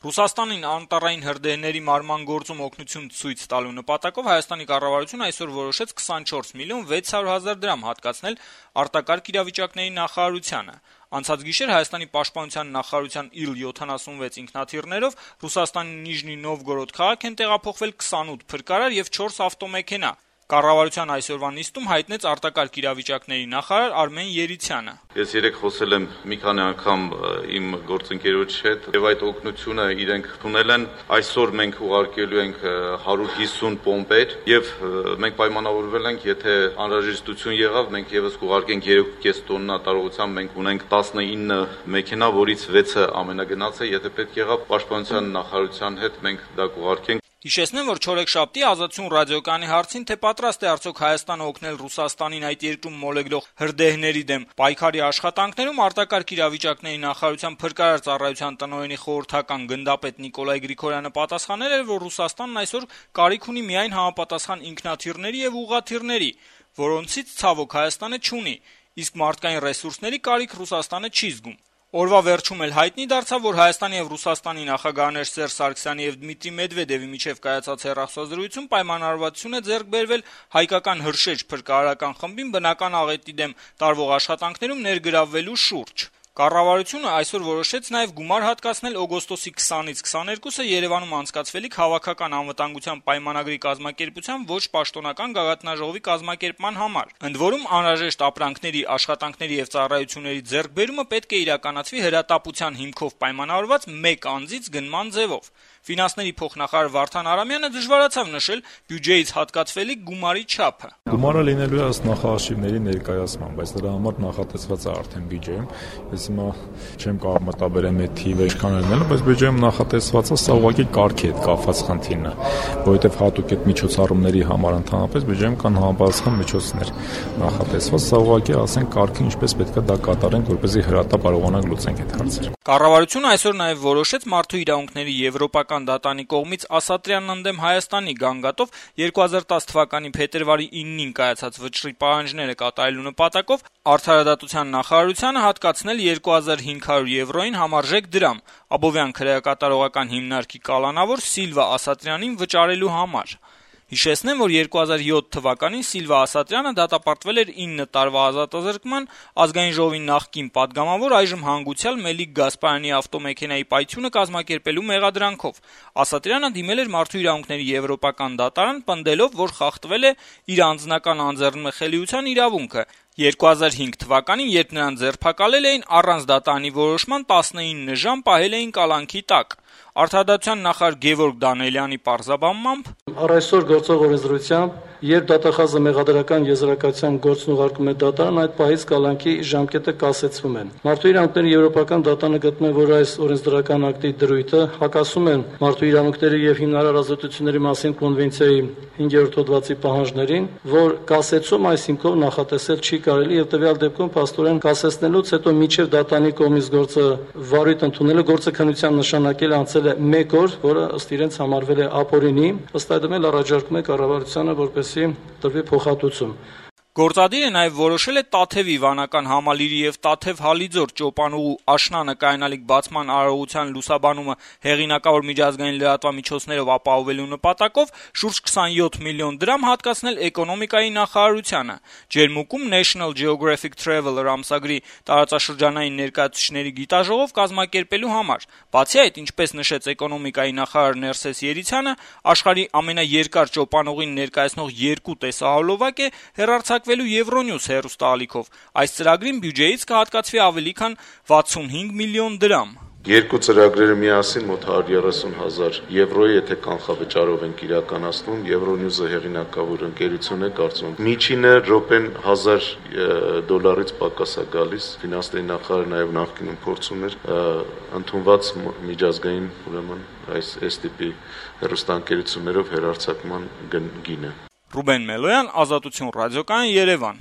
Ռուսաստանին անտառային հրդեհների մարման գործում օգնություն ցույց տալու նպատակով Հայաստանի կառավարությունը այսօր որոշեց 24 միլիոն 600 հազար դրամ հատկացնել արտակարգ իրավիճակների նախարարությանը։ Անցած գիշեր Հայաստանի պաշտպանության նախարարության Il-76 ինքնաթիռներով Ռուսաստանի Նիժնի Նովգորոդ քաղաք են տեղափոխվել 28 փրկարար եւ 4 ավտոմեքենա։ Կառավարության այսօրվա նիստում հայտնեց արտակարգ իրավիճակների նախարար Արմեն Երիցյանը։ Ես երեք խոսել եմ մի քանի անգամ իմ գործընկերոջ հետ եւ այդ օգնությունը իրենք տունել են։ Այսօր մենք ուղարկելու ենք 150 պոմպեր եւ մենք պայմանավորվել ենք, եթե անհրաժեշտություն եղավ, մենք եւս կուղարկենք 3.5 տոննա տարողությամբ մենք ունենք 19 մեքենա, որից 6-ը ամենագնաց է, եթե պետք եղավ պաշտպանության նախարարության հետ մենք դա կուղարկենք։ Հիշեցնեմ, որ չորեքշաբթի Ազատություն ռադիոկայանի հարցին, թե պատրաստ է արդյոք Հայաստանը օգնել Ռուսաստանին այդ երկրում մոլեգնող հրդեհների դեմ պայքարի աշխատանքներում, արտակարգ իրավիճակների նախարարության փրկարար ծառայության տնօրենի խորհրդական գնդապետ Նիկոլայ Գրիգորյանը պատասխանել էր, որ Ռուսաստանն այսօր կարիք ունի միայն համապատասխան ինքնաթիռների եւ ուղղաթիռների, որոնցից ցավոք Հայաստանը չունի, իսկ մարդկային ռեսուրսների կարիք Ռուսաստանը չի զգում։ Օրվա վերջում էլ հայտնի դարձավ, որ Հայաստանի եւ Ռուսաստանի նախագահներ Սերժ Սարգսյանի եւ Դմիտրի Մեդվեդևի միջև կայացած հեռախոսազրույցում պայմանավորվածություն է ձեռք բերվել հայկական հրշեջ փրկարարական խմբին բնական աղետի դեմ տարվող աշխատանքներում ներգրավվելու շուրջ։ Կառավարությունը այսօր որոշեց նաև գումար հատկացնել օգոստոսի 20-ից 22-ը Երևանում անցկացվելիք հավաքական անվտանգության պայմանագրի կազմակերպության ոչ պաշտոնական գագաթնաժողովի կազմակերպման համար։ Ընդ որում անհրաժեշտ ապրանքների, աշխատանքների եւ ծառայությունների ձեռքբերումը պետք է իրականացվի հրատապության հիմքով պայմանավորված մեկ անձից գնման ձևով։ Ֆինանսների փոխնախարար Վարդան Արամյանը դժվարացավ նշել բյուջեից հատկացվելիք գումարի չափը։ Գումարը լինելու է ըստ նախարարների ներկայացման, բայց դրա համար նախատեսված է արդեն բյուջեում։ Ես հիմա չեմ կարող մտաբերեմ այդ թիվը ինչքան լինելու, բայց բյուջեում նախատեսված է, սա ուղղակի կարգի հետ կապված խնդիրն է, որովհետև հատուկ այդ միջոցառումների համար ընդհանրապես բյուջեում կան համապատասխան միջոցներ նախատեսված, սա ուղղակի ասենք կարգի ինչպես պետք է դա կատարենք, որպեսզի հրատապ կարողանանք լուծենք այդ հարցերը։ Կառավարությունը այսօր նաև որոշեց մարդու իրավունքների եվրոպական դատանի կողմից Ասատրյանն ընդդեմ Հայաստանի գանգատով 2010 թվականի փետրվարի 9-ին կայացած վճռի պահանջները կատարելու նպատակով Արդարադատության նախարարությանը հատկացնել 2500 եվրոին համարժեք դրամ Աբովյան քրեակատարողական հիմնարկի կալանավոր Սիլվա Ասատրյանին վճարելու համար։ Հիշեցնեմ, որ 2007 թվականին Սիլվա Ասատրյանը դատապարտվել էր 9 տարվա ազատազրկման, ազգային ժողովի նախկին падգամավոր, այժմ հանգուցյալ Մելիք Գասպարյանի ավտոմեքենայի պայթյունը կազմակերպելու մեղադրանքով։ Ասատրյանը դիմել էր Մարդու իրավունքների եվրոպական դատարան, պնդելով, որ խախտվել է իր անձնական անձեռնմխելիության իրավունքը։ 2005 թվականին, երբ նրան ձերբակալել էին, առանց դատարանի որոշման 19 ժամ պահել էին կալանքի տակ։ Արդարադատության նախարար Գևորգ Դանիելյանի պարզաբանմամբ առ այսօր գործող օրենսդրությամբ, երբ դատախազը մեղադրական եզրակացության գործն ուղարկում է դատարան, այդ պահից կալանքի ժամկետը կասեցվում է։ Մարդու իրավունքների եվրոպական դատարանը գտնում է, որ այս օրենսդրական ակտի դրույթը հակասում են մարդու իրավունքների եւ հիմնարար ազատությունների մասին կոնվենցիայի 5-րդ հոդվածի պահանջներին, որ կասեցում այս հիմքով նախատեսել չի կարելի եւ տվյալ դեպքում փաստորեն կասեցնելուց հետո միջև դատանի կողմից գործը վարույթ ընդունելը գործը քննության նշանակել անցել է 1 օր, որը ըստ իրենց համարվել է ապօրինի, ըստ այդմ էլ առաջարկում է կառավարությանը, որպեսզի տրվի փոխհատուցում։ Գործադիրը նաև որոշել է Տաթևի վանական համալիրի եւ Տաթև Հալիձոր ճոպանուղու աշնանը կայանալիք բացման արարողության լուսաբանումը հեղինակավոր միջազգային լրատվամիջոցներով ապահովելու նպատակով շուրջ 27 միլիոն դրամ հատկացնել էկոնոմիկայի նախարարությանը։ Ջերմուկում National Geographic Traveler ամսագրի տարածաշրջանային ներկայացուցիչների գիտաժողով կազմակերպելու համար։ Բացի այդ, ինչպես նշեց էկոնոմիկայի նախարար Ներսես Երիցյանը, աշխարհի ամենաերկար ճոպանուղին ներկայացնող 2 տեսահոլովակ է հեռարձակվել Եվրոնյուս հեռուստաալիքով։ Այս ծրագրին բյուջեից կհատկացվի ավելի քան 65 միլիոն դրամ։ Երկու ծրագրերը միասին մոտ 130,000 եվրոյի, եթե կանխավճարով ենք իրականացնում, Եվրոնյուզը հեղինակավոր ընկերություն է, կարծում եմ միջինը րոպեն $1000 պակաս է գալիս։ Ֆինանսների նախարարը նաև նախկինում փորձում էր ընդունված միջազգային, ուրեմն այս STP հեռուստաընկերություններով հեռարձակման գինը։ Ռուբեն Մելոյան, Ազատություն ռադիոկայան, Երևան։